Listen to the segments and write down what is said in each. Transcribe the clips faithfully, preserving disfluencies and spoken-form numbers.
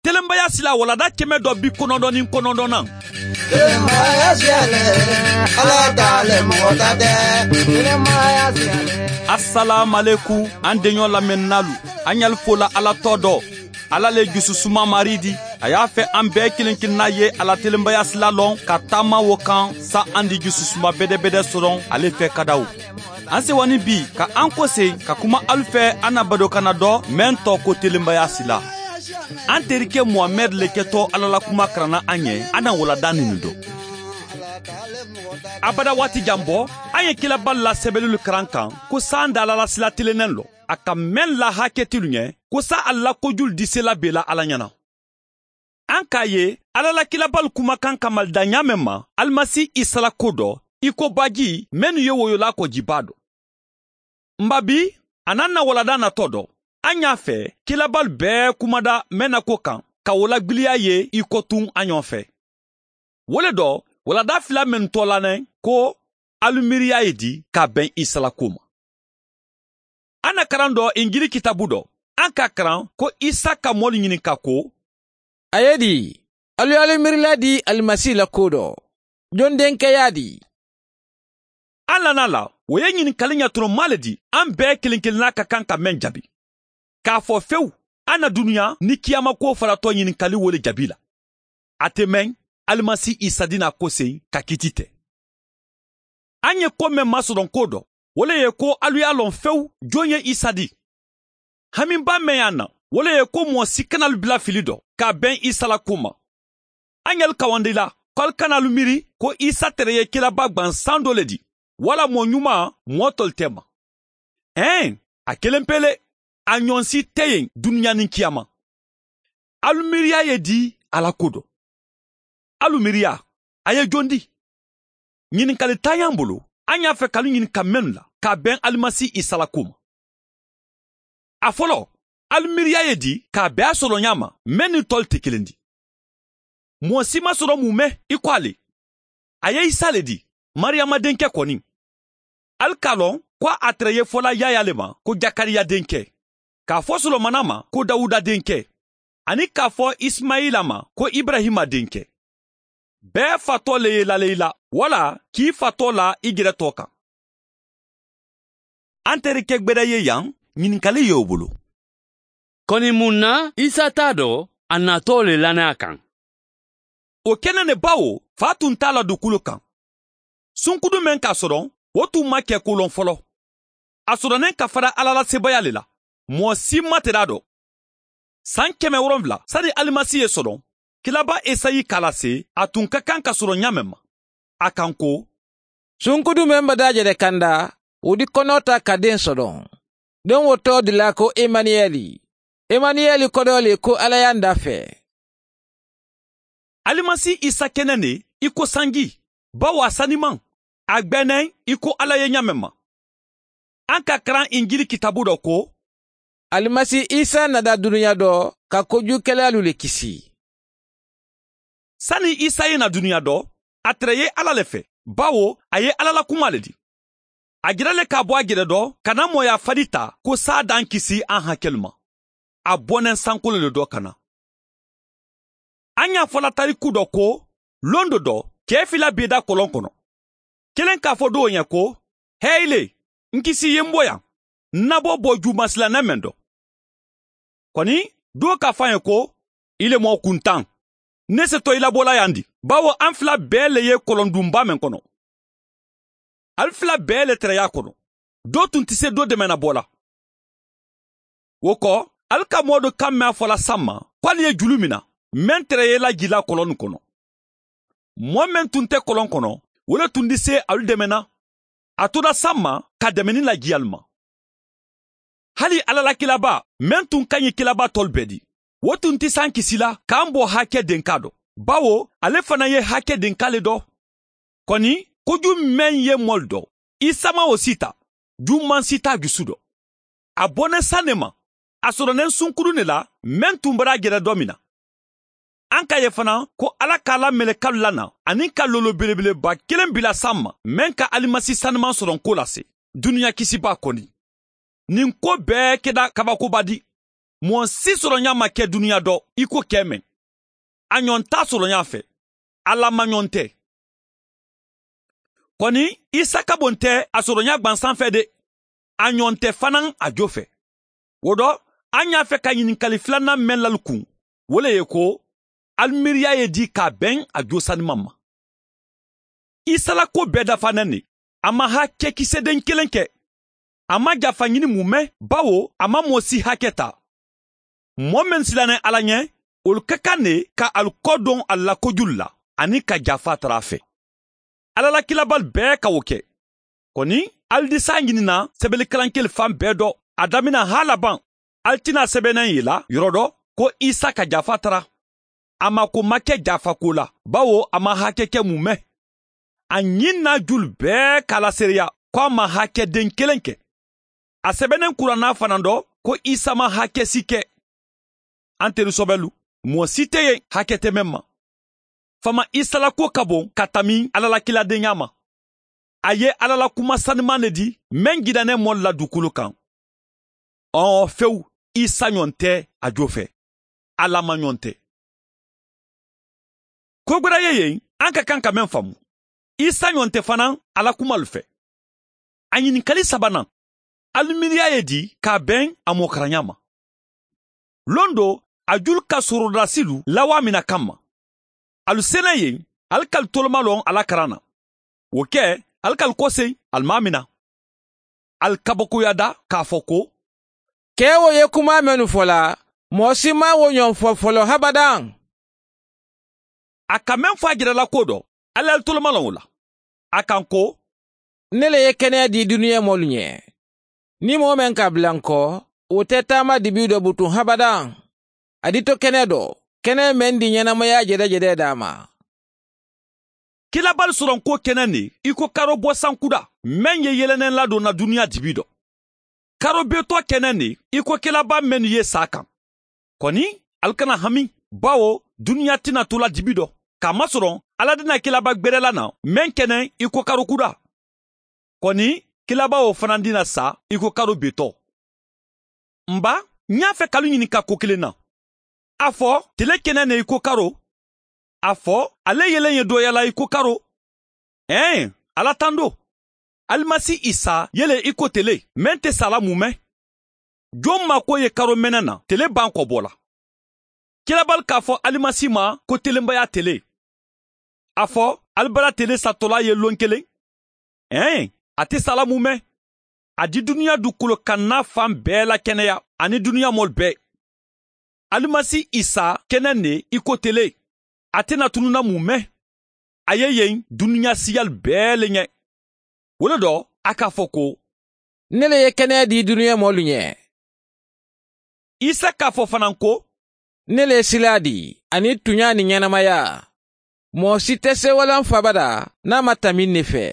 Telenbaya sila walada kɛmɛ dɔ bi kɔnɔntɔn ni kɔnɔntɔn na. Telenbaya siyalɛ, Ala t'ale mɔgɔ ta tɛ. Telenbaya siyalɛ. Asalaamalekum an denɲɔ lamɛnnalu, an y'al fola Ala tɔ dɔ. Ala le jususuma mari di. A y'a fɛ an bɛɛ kelen kelenna ye ala telenbaya sila lɔn ka taama wo kan sa an di jususuma bɛdɛbɛdɛ sɔrɔ ale fɛ kadaw. An sewani bi ka an kɔse ka kuma alu fɛ an na badokana dɔ mɛn tɔ ko telenbaya sila. An terikɛ Muhamɛd le kɛtɔ Ala la kuma karanna an ɲɛ, an na walada nin dɔ. Abada waati jan bɔ, an ye kilaba la sɛbɛnnilu karan kan ko san da Ala la sila tilennen lɔ. A ka mɛn la hakɛtilu ɲɛ ko sa a la kojulu disela bela Ala ɲɛna. An k'a ye Ala la kilabalu kumakan kamalida ɲa mɛn ma Alimasi Isa la ko dɔ, i ko baji mɛnnu ye woyola kɔjiba dɔ. Nba bi, a n'an na walada natɔ dɔ. An y'a fɛ kilabalu bɛɛ kumada mɛn na ko kan ka o lagbiliya ye i ko tun an ɲɔgɔn fɛ. Wo le dɔ, walada fila mɛn tɔ la nɛ ko alu miiriya ye di ka bɛn Isa la ko ma. An na karan dɔ Injili kitabu dɔ. An ka karan ko Isa ka mɔlu ɲininka ko, A ye di, alu y'alu miirila di Alimasi la ko dɔ. Jɔn denkɛ y'a di? An lana la, o ye ɲininkali ɲɛtɔrɔma le di, an bɛɛ kelen kelenna ka kan ka mɛn jaabi. K'a fɔ fewu, an na dunuya ni kiyama ko faratɔ ɲininkali wo le jaabi la. A tɛ mɛn, Alimasi Isa dina ko sen ka kiti tɛ. An ye ko mɛn masɔrɔ ko dɔ, o le ye ko alu y'a lɔn fewu jɔn ye Isa di. Hamiba mɛn y'an na, o le ye ko mɔgɔ si kana alu bila fili dɔ k'a bɛn Isa la ko ma. An y'alu kawandi la, k'alu kana alu miiri ko Isa tɛrɛ ye kiraba gwansan dɔ le di, wala mɔgɔ ɲuman mɔgɔ tɔlu tɛ ma. Ɛn, a kelen pele, a ɲɔgɔn si tɛ yen dunuya ni kiyama. Alu miiriya ye di Ala ko dɔ. Alu miiriya, a ye jɔn di? Ɲininkali t'an y'an bolo, an y'a fɛ k'alu ɲininka mɛnnu la k'a bɛn Alimasi Isa la ko ma. A fɔlɔ, alu miiriya ye di k'a bɛn a sɔrɔ ɲa ma, mɛn ni tɔlu tɛ kelen di. Mɔgɔ si ma sɔrɔ mun mɛn i ko ale. A ye Isa le di, Mariyama denkɛ kɔni. Alu k'a lɔn ko a tɛrɛ ye fɔla Yaya le ma ko Jakariya denkɛ, k'a fɔ Solomana ma ko Dawuda denkɛ, ani k'a fɔ Ismayila ma ko Ibrahima denkɛ. Bɛɛ fatɔ le ye lale i la, wala k'i fatɔ la i gɛrɛ tɔ kan. An terikɛ gbɛdɛ ye yan, ɲininkali y'o bolo. Kɔni mun na Isa t'a dɔn a natɔ le lannaya kan? O kɛnɛ ne bawo fa tun t'a la dugukolo kan. Sunkudu mɛn k'a sɔrɔ, o tun ma kɛ kolɔn fɔlɔ. A sɔrɔnen ka fara Ala la sebaya le la. Mɔgɔ si ma tɛrɛ a dɔn. San kɛmɛ wolonwula sani Alimasi ye sɔrɔ, kilaba Esayi k'a lase, a tun ka kan ka sɔrɔ ɲa mɛn ma. A kan ko, Sunkudu mɛn ba dajɛrɛ kanda, o di kɔnɔ ta ka den sɔrɔ. Den wo tɔ de la ko Emaniyɛli. Emaniyɛli kɔrɔ le ko Ala y'an da fɛ. Alimasi Isa kɛnɛ ne i ko sanji, bawo a saniman, a gbɛnɛ i ko Ala ye ɲa mɛn ma. An ka karan Injili kitabu dɔ ko, Alimasi Isa nada dunuya dɔ ka kojugukɛlalu le kisi. Sani Isa ye na dunuya dɔ, a tɛrɛ ye Ala le fɛ, bawo a ye Ala la kuma le di. A jira le k'a bɔ a gɛrɛ dɔ ka na mɔya fadi ta ko sa d'an kisi an hakɛlu ma. A bɔnɛ sankolo le dɔ ka na. An y'a fɔla tariku dɔ ko, lon dɔ dɔ, cɛ fila bɛ da kɔlɔn kɔnɔ. Kelen k'a fɔ dɔw ɲɛ ko, Hɛyile, n kisi ye n bɔ yan, n nabɔ bɔ jumasilanɛ mɛn dɔ. Kɔni, dɔw k'a fɔ an ye ko, i le mɔ kuntan, ne se tɔ i labɔla yan di, bawo an fila bɛɛ le ye kɔlɔndunba mɛn kɔnɔ. Al fila bɛɛ le tɛrɛ y'a kɔnɔ. Dɔ tun tɛ se dɔ dɛmɛ na bɔ la. O kɔ, al ka mɔ dɔ kan mɛn a fɔla san ma, k'ale ye julu min na, mɛn tɛrɛ ye la ji la kɔlɔn nin kɔnɔ. Mɔgɔ mɛn tun tɛ kɔlɔn kɔnɔ, o le tun tɛ se alu dɛmɛ na. A tora san ma ka dɛmɛni laji alu ma. Hali Ala la kilaba, mɛn tun ka ɲi kilaba tɔlu bɛɛ di. O tun tɛ s'an kisi la k'an bɔ hakɛ denka dɔ. Bawo ale fana ye hakɛ denka le dɔ. Kɔni, koju mɛn ye mɔli dɔ, Isa ma o si ta, juman si t'a dusu dɔ. A bɔnɛ san ne ma, a sɔrɔnen sunkuru ne la, mɛn tun bɔra a gɛrɛ dɔ min na. An k'a ye fana ko Ala k'a la mɛlɛkalu lana ani ka lolo belebeleba kelen bila san ma, mɛn ka alimasi sanuman sɔrɔ ko lase, dunuya kisiba kɔni. Nin ko bɛɛ kɛra kabakoba di. Mɔɔ si sɔrɔɲa ma kɛ duniya dɔ i ko kɛ mɛn. A ɲɔn t'a sɔrɔɲa fɛ. Ala ma ɲɔn tɛ. Kɔni Isa ka bon tɛ a sɔrɔɲa gwansan fɛ de. A ɲɔn tɛ fana a jo fɛ. O dɔ, an y'a fɛ ka ɲininkali filanan mɛn lali kun. O le ye ko, alimiiriya ye di k'a bɛn a jo saniman ma. Isa la ko bɛɛ dafanen de. A ma hakɛ kisɛden kelen kɛ. A ma jafa ɲini mun mɛn, bawo a ma mɔɔ si hakɛ ta. Mɔɔ min silannen Ala ɲɛ, olu ka kan de ka alu kɔ don a la kojulu la, ani ka jafa tara a fɛ. Ala la kilabali bɛɛ ka o kɛ. Kɔni, ali di sa ɲinina sɛbɛnnikalankeli fan bɛɛ dɔ, a damina ha laban, ali tɛna sɛbɛnnen ye la yɔrɔ dɔ ko Isa ka jafa tara. A ma ko ma kɛ jafa ko la, bawo a ma hakɛ kɛ mun mɛn. A ɲin n'a julu bɛɛ k'a lasereya ko a ma hakɛ den kelen kɛ. A sɛbɛnnen kuranna fana dɔ ko Isa ma hakɛ si kɛ. An teri sɔbɛlu, mɔɔ si tɛ yen hakɛ tɛ mɛn ma. Fama Isa la ko ka bon ka tami Ala la kiladenya ma. A ye Ala la kuma saniman de di mɛn gidannen mɔɔ la dugukolo kan. Ɔn fewu, Isa ɲɔn tɛ a jo fɛ. Ala ma ɲɔn tɛ. Ko gwɛrɛ ye yen, an ka kan ka mɛn faamu. Isa ɲɔn tɛ fana Ala kumalu fɛ. A ɲininkali sabanan, alimiiriya ye di k'a bɛn a mɔkaranya ma. Lon do, a julu ka sorodasilu lawa mina kama. Alu selen yen, ali k'alu toloma lɔn ala karan na. O kɛ, ali k'alu kɔsen, alu m'a mina. Alu kabakoya da k'a fɔ ko, Kɛ o ye kuma minnu fɔla, mɔɔ si ma o ɲɔgɔn fɔ fɔlɔ habadan. A ka mɛn fɔ a jirala ko dɔ, ali alu toloma lɔn o la. A kan ko, Ne le ye kɛnɛya di duniya mɔlu ɲɛ. Ni mɔgɔ mɛn ka bila n kɔ, o tɛ taama dibi dɔ butun habadan. A di to kɛnɛ dɔ, kɛnɛ mɛn di ɲɛnamaya jɛdɛjɛdɛ d'a ma. Kilabali sɔrɔ ko kɛnɛ ne, i ko karo bɔ sankuda, mɛn ye yɛlɛnɛ ladon na duniya dibi dɔ. Karo betɔ kɛnɛ ne, i ko kilaba mɛn ye sa kan. Kɔni, ali kana hami, bawo duniya tɛna to la dibi dɔ. K'a masɔrɔ, Ala dina kilaba gbɛrɛla na, mɛn kɛnɛ i ko karo kuda. Kɔni, kilaba o fana dina sa i ko karo betɔ. Nba, n y'a fɛ k'alu ɲininka ko kelen na. A fɔ, tele kɛnɛ ne i ko karo. A fɔ, ale yɛlɛn ye dɔyala i ko karo. Ɛn, Ala tan do. Alimasi Isa yɛlɛ i ko tele, mɛn tɛ sala mun mɛn. Jɔn ma ko ye karo mɛnɛ na, tele ban kɔ bɔ la. Kirabali k'a fɔ alimasi ma ko telenbaya tele. A fɔ, alibala tele satɔla ye lon kelen. Ɛn, a tɛ sala mun mɛn. A di duniya dugukolo kan n'a fan bɛɛ la kɛnɛya ani duniya mɔli bɛɛ. Alimasi Isa kɛnɛ ne i ko tele. A tɛna tununa mun mɛn. A ye yen duniya siyali bɛɛ le ɲɛ. O le dɔ, a k'a fɔ ko, Ne le ye kɛnɛya di duniya mɔlu ɲɛ. Isa k'a fɔ fana ko, Ne le ye sila di ani tunya ni ɲɛnamaya. Mɔɔ si tɛ se walan fabada n'a ma tami ne fɛ.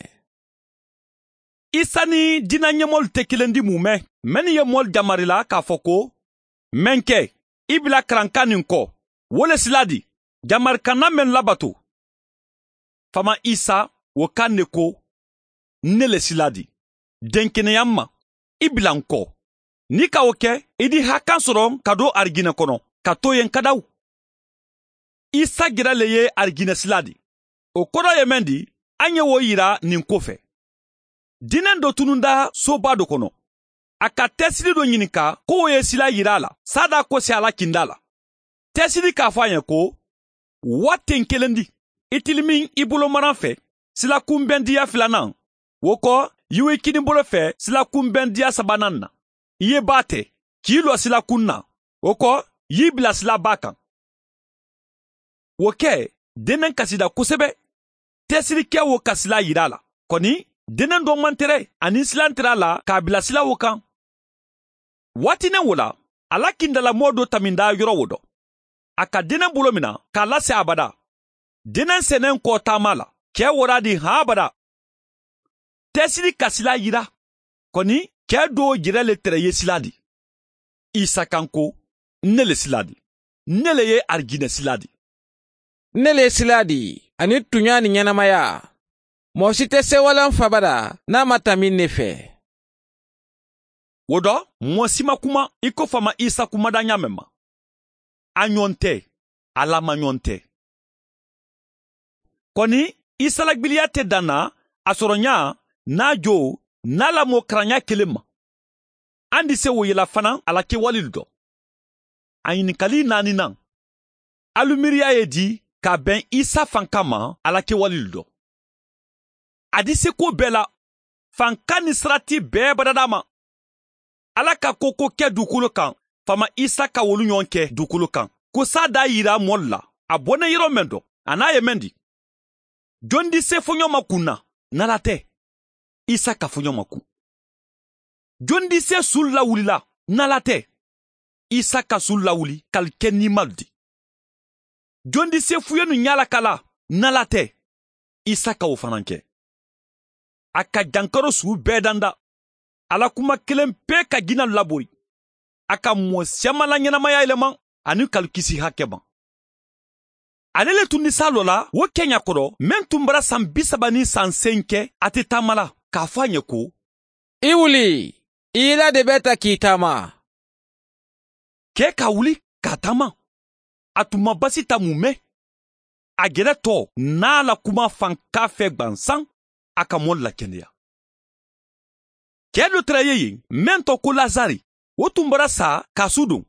Isa ni diinɛ ɲɛmɔgɔlu tɛ kelen di mun mɛn. Mɛnni ye mɔli jamari la k'a fɔ ko, mɛn kɛ, i bila karankan nin kɔ, wo le sila di, jamarikanna mɛn labato. Fama Isa o kan de ko, ne le sila di, denkɛnɛya ma, i bila n kɔ. N'i ka o kɛ, i di hakan sɔrɔ ka don ariginɛ kɔnɔ, ka to yen kadaw. Isa gira le ye ariginɛ sila di. O kɔrɔ ye mɛn di, an ye o yira nin ko fɛ. Diinɛ dɔ tununda soba dɔ kɔnɔ. A ka tɛsiri dɔ ɲininka k'o ye sila yira a la, sada ko se ala kinda la. Tɛsiri k'a fɔ a ye ko, waati kelen di, i tilimin i bolo maran fɛ, sila kunbɛndiya filanan, o kɔ, i i kini bolo fɛ sila kunbɛndiya sabanan na. I ye ba tɛ, k'i lɔ sila kun na, o kɔ, y'i bila sila ba kan. O kɛ, denen kasida kosɛbɛ. Tɛsirikɛ wo ka sila yira a la. Kɔni, denen dɔ man tɛrɛ ani silan tɛrɛ a la k'a bila sila o kan. Waatinin wo la, ala kindalamɔɔ dɔ taminda yɔrɔ wo dɔ. A ka denen bolo mina k'a lase abada. Denen sɛnɛn kɔ taama la, kɛ wora di han abada. Tɛsiri ka sila yira. Kɔni, kɛ dɔw jɛrɛ le tɛrɛ ye sila di. Isa kan ko, ne le sila di. Ne le ye arijinɛ sila di. Ne le sila di ani tunya ni ɲɛnamaya. Mɔgɔ si tɛ se walan fabada n'a ma tami ne fɛ. O dɔ, mɔɔ si ma kuma i ko fama Isa kumada ɲa mɛn ma. A ɲɔgɔn tɛ, Ala ma ɲɔgɔn tɛ. Kɔni Isa la gbiliya tɛ dan na a sɔrɔ ɲa n'a jo n'a lamɔ karanya kelen ma. An di se o yela fana a la kɛwale dɔ. A ɲininkali naaninan. Alu miiriya ye di ka bɛn Isa fanka ma a la kɛwale dɔ. A di se ko bɛɛ la, fanka ni sarati bɛɛ badada ma. Ala ka ko ko kɛ dugukolo kan, fama Isa ka wolu ɲɔgɔn kɛ dugukolo kan. Ko sa da yira mɔli la, a bɔnna yɔrɔ mɛn dɔ, a n'a ye mɛn di. Jɔn di se fɔɲɔ ma kun na, n'Ala tɛ. Isa ka fɔɲɔ ma kun. Jɔn di se su lawulila, n'Ala tɛ. Isa ka su lawuli k'ali kɛ nima di. Jɔn di se fuyenu ɲala kala, n'Ala tɛ. Isa ka o fana kɛ. A ka jankaro su bɛɛ danda. Ala kuma kelen pe ka jinɛ labori. A ka mɔɔ siyaman la ɲɛnamaya yɛlɛma ani k'ali kisi hakɛ ma. Ale le tun ni sa lɔ la o kɛɲa kɔrɔ mɛn tun bara san bi saba ni san sen kɛ a tɛ taama la k'a fɔ a ɲɛ ko I wuli, i la de bɛ ta k'i taama. Kɛ ka wuli k'a taama. A tun ma basi ta mun mɛn. A gɛrɛ tɔ n'a la kuma fanka fɛ gwansan a ka mɔɔ lakɛnɛya. Kɛ dɔ tɛrɛ ye yen mɛn tɔ ko Lazari o tun bɔra sa k'a su don.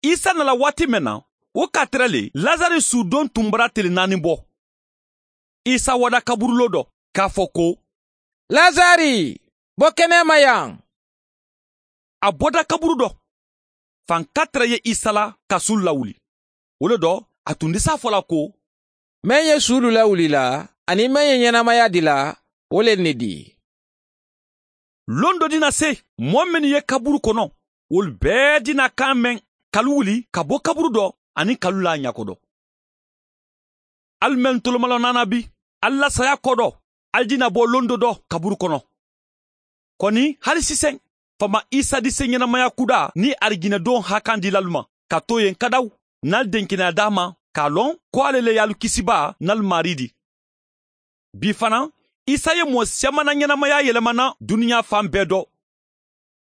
Isa nana waati mɛn na o ka tɛrɛ le Lazari sudon tun bɔra tele naani bɔ. Isa wada kaburulo dɔ k'a fɔ ko Lazari, bɔ kɛnɛ ma yan. A bɔda kaburu dɔ. Fanka tɛrɛ ye Isa la ka su lawuli. O le dɔ a tun tɛ s'a fɔ la ko Mɛn ye sulu lawuli la ani mɛn ye ɲɛnamaya di la o le ne di. Lon dɔ dina se mɔɔ minnu ye kaburu kɔnɔ olu bɛɛ dina kan mɛn kalu wuli ka bɔ kaburu dɔ ani kalu la ɲako dɔ. Alu mɛn tolomalɔ nana bi alu la saya kɔ dɔ alu dina bɔ lon dɔ dɔ kaburu kɔnɔ. Kɔni hali sisan fama Isa di se ɲɛnamaya kuda ni arijinɛdon hakan di lalu ma ka to yen kadaw n'al denkɛnɛya d'a ma k'a lɔn ko ale le y'alu kisiba n'alu mari di. Bi fana Isa ye mɔɔ siyaman na ɲɛnamaya yɛlɛmana duniya fan bɛɛ dɔ.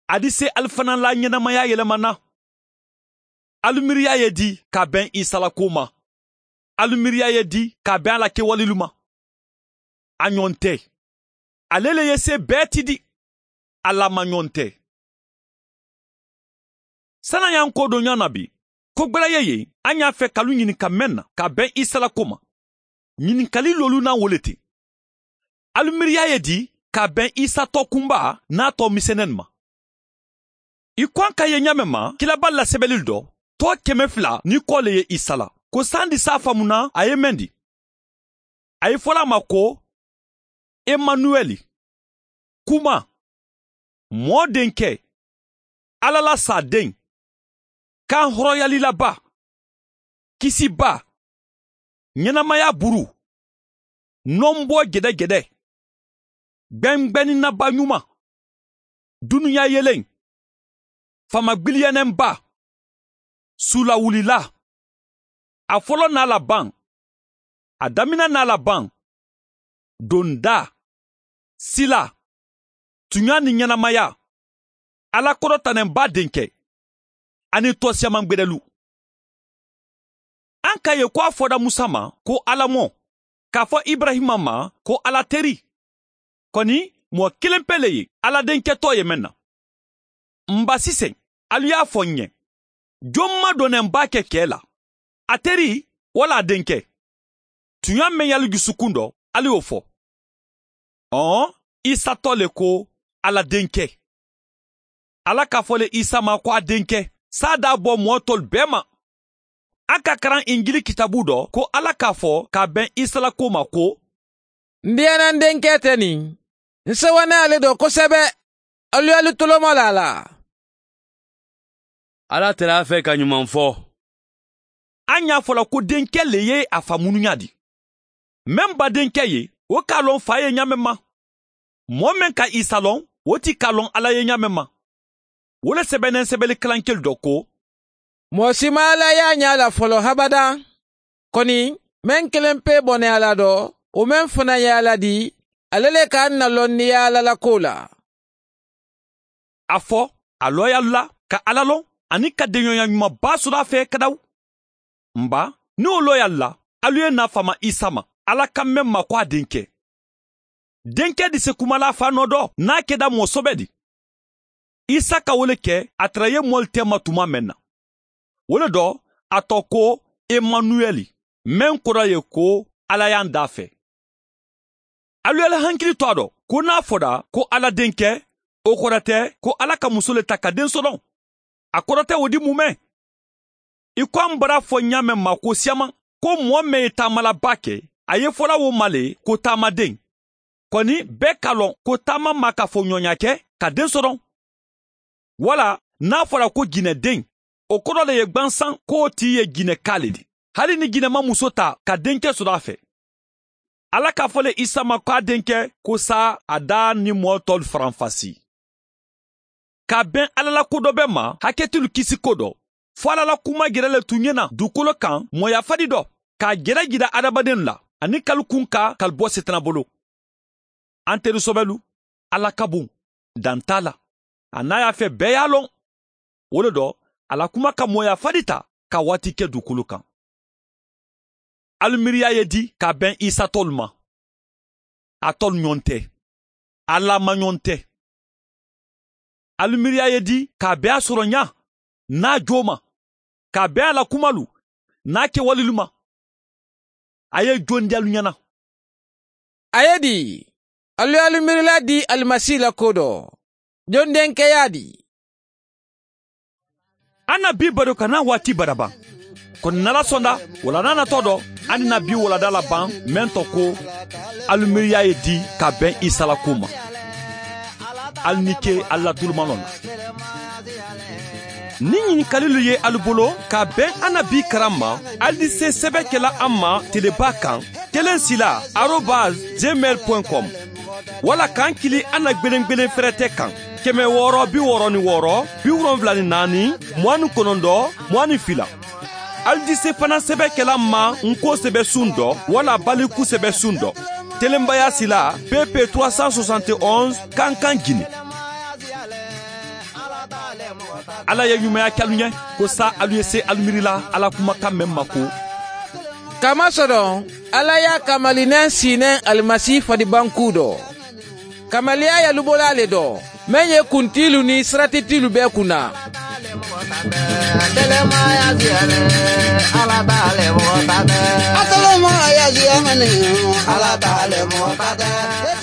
A di se alu fana la ɲɛnamaya yɛlɛmana. Alu miiriya ye di ka bɛn Isa la ko ma. Alu miiriya ye di ka bɛn a la kɛwalelu ma. A ɲɔgɔn tɛ. Ale le ye se bɛɛ ti di. Ala ma ɲɔgɔn tɛ. San'an y'an ko don ɲɔgɔn na bi, ko gbɛrɛ ye yen an y'a fɛ k'alu ɲininka mɛn na ka bɛn Isa la ko ma. Ɲininkali lolu n'a wele ten. Alu miiriya ye di ka bɛn Isa tɔ kunba n'a tɔ misɛnnin ma. I ko an ka ye ɲa mɛn ma kilaba la sɛbɛnli dɔ tɔ kɛmɛ fila ni kɔ le ye Isa la. Ko san di s'a faamuna a ye mɛn di. A ye fɔla a ma ko Emanuwɛli, kuma, mɔɔ denkɛ, Ala la sa den, kan hɔrɔnyalilaba, kisiba, ɲɛnamaya buru, nɔnbɔ gɛdɛgɛdɛ, gbɛngbɛnninaba ɲuman, dunuya yelen, famagbiliyɛnɛnba, sulawulila, a fɔlɔ n'a laban, a daminɛ n'a laban, donda, sila, tunya ni ɲɛnamaya, Ala kɔrɔtanɛnba denkɛ, ani tɔ siyaman gbɛdɛlu. An ka ye ko a fɔra Musa ma ko Ala mɔ, k'a fɔ Ibrahima ma ko Ala teri. Kɔni mɔɔ kelen pe le ye Ala denkɛ tɔ ye mɛn na. N ba sisan, alu y'a fɔ n ɲɛ. Jɔn ma dɔnnɛnba kɛ kɛ la. A teri wala a denkɛ. Tunya mɛn y'alu dusukun dɔ, alu y'o fɔ. Ɔn, Isa tɔ le ko Ala denkɛ. Ala k'a fɔ le Isa ma ko a denkɛ, sa d'a bɔ mɔɔ tɔlu bɛɛ ma. An ka karan Injili kitabu dɔ ko Ala k'a fɔ k'a bɛn Isa la ko ma ko N diyana n denkɛ tɛ nin. N sewanɛ ale dɔ kosɛbɛ. Alu y'alu tolomɔ la a la. Ala tɛrɛ a fɛ ka ɲuman fɔ. An y'a fɔla ko denkɛ le ye a fa munuya di. Mɛn ba denkɛ ye, o k'a lɔn fa ye ɲa mɛn ma. Mɔɔ mɛn ka Isa lɔn, o ti k'a lɔn Ala ye ɲa mɛn ma. O le sɛbɛnnen sɛbɛnni kalankɛli dɔ ko Mɔɔ si ma Ala y'a ɲɛ la fɔlɔ habada. Kɔni, mɛn kelen pe bɔnɛ Ala dɔ, o mɛn fana ye Ala di, ale le k'an na lɔnniya Ala la ko la. A fɔ A lɔyalu la ka Ala lɔn ani ka denɲɔgɔnya ɲumanba sɔrɔ a fɛ ka daw. Nba ni o lɔyalu la, alu ye na fama Isa ma, Ala kan mɛn ma ko a denkɛ. Denkɛ di se kuma la fa nɔ dɔ n'a kɛda mɔ sɔbɛ di. Isa ka wele kɛ a tɛrɛ ye mɔli tɛ ma tuma mɛn na. Wele dɔ a tɔ ko Emanuɛli, mɛn kɔrɔ ye ko Ala y'an da fɛ. Alu yɛlɛ hankili to a dɔ ko n'a fɔra ko Ala denkɛ, o kɔrɔ tɛ ko Ala ka muso le ta ka den sɔrɔ. A kɔrɔ tɛ o di mun mɛn. I ko an bara fɔ ɲa mɛn ma ko siyaman ko mɔɔ mɛn ye taamalaba kɛ, a ye fɔla wo ma le ko taamaden. Kɔni bɛɛ k'a lɔn ko taama ma ka fɔ ɲɔnya kɛ ka den sɔrɔ. Wala n'a fɔra ko jinɛden, o kɔrɔ le ye gwansan k'o t'i ye jinɛka le di. Hali ni jinɛ ma muso ta ka denkɛ sɔrɔ a fɛ. Ala k'a fɔ le Isa ma k'a denkɛ ko sa a da ni mɔɔ tɔlu faranfasi. Ka bɛn Ala la ko dɔ bɛ ma, hakɛtilu kisi ko dɔ. Fo Ala la kuma gɛrɛ le tun ɲɛna dugukolo kan mɔya fadi dɔ, k'a gɛrɛ jira adamaden la, ani kalu kun ka kali bɔ setana bolo. An teri sɔbɛlu, Ala ka bon, dan t'a la. A n'a y'a fɛ bɛɛ y'a lɔn. O le dɔ, ala kuma ka mɔya fadi ta ka waati kɛ dugukolo kan. Alu miiriya ye di ka bɛn Isa tɔlu ma. A tɔlu ɲɔgɔn tɛ. Ala ma ɲɔgɔn tɛ. Alu miiriya ye di k'a bɛn a sɔrɔ ɲa n'a jo ma, k'a bɛn a la kumalu n'a kɛwalelu ma. A ye jon di alu ɲɛna. A ye di, alu alu miirila di Alimasi la ko dɔ. Jon denkɛ y'a di. An na bi baro ka n'a waati baraban. Kɔni n'Ala sɔnna, wala n'a natɔ dɔ, an na bi walada laban mɛn tɔ ko alu miiriya ye di ka bɛn Isa la ko ma. Alu ni ke alu la tulumanɔ la. Ni ɲininkalilu ye alu bolo ka bɛn an na bi karan ma, alu di se sɛbɛn kɛla an ma teleba kan kelen sila arobase gmail point com wala k'an kili an na gwelen-gwelen fɛrɛtɛ kan kɛmɛ wɔɔrɔ bi wɔɔrɔ ni wɔɔrɔ bi wolonfila ni naani mugan ni kɔnɔntɔn mugan ni fila. Alu di se fana sɛbɛn kɛla ma nko sɛbɛ sun dɔ wala baliku sɛbɛ sun dɔ. Telenbaya sila P P trois cent soixante et onze Kankan Guinée. Ala ye ɲumanya kɛ alu ɲɛ ko sa alu ye se alu miiri la Ala kumakan mɛn ma ko. Kamasɔrɔ Ala y'a kamalinɛ sinɛ Alimasi fadibanku dɔ. Kamaliya yalubola le dɔ mɛn ye kuntilu ni siratitilu bɛɛ kunna. Ala t'ale mɔgɔ ta tɛ.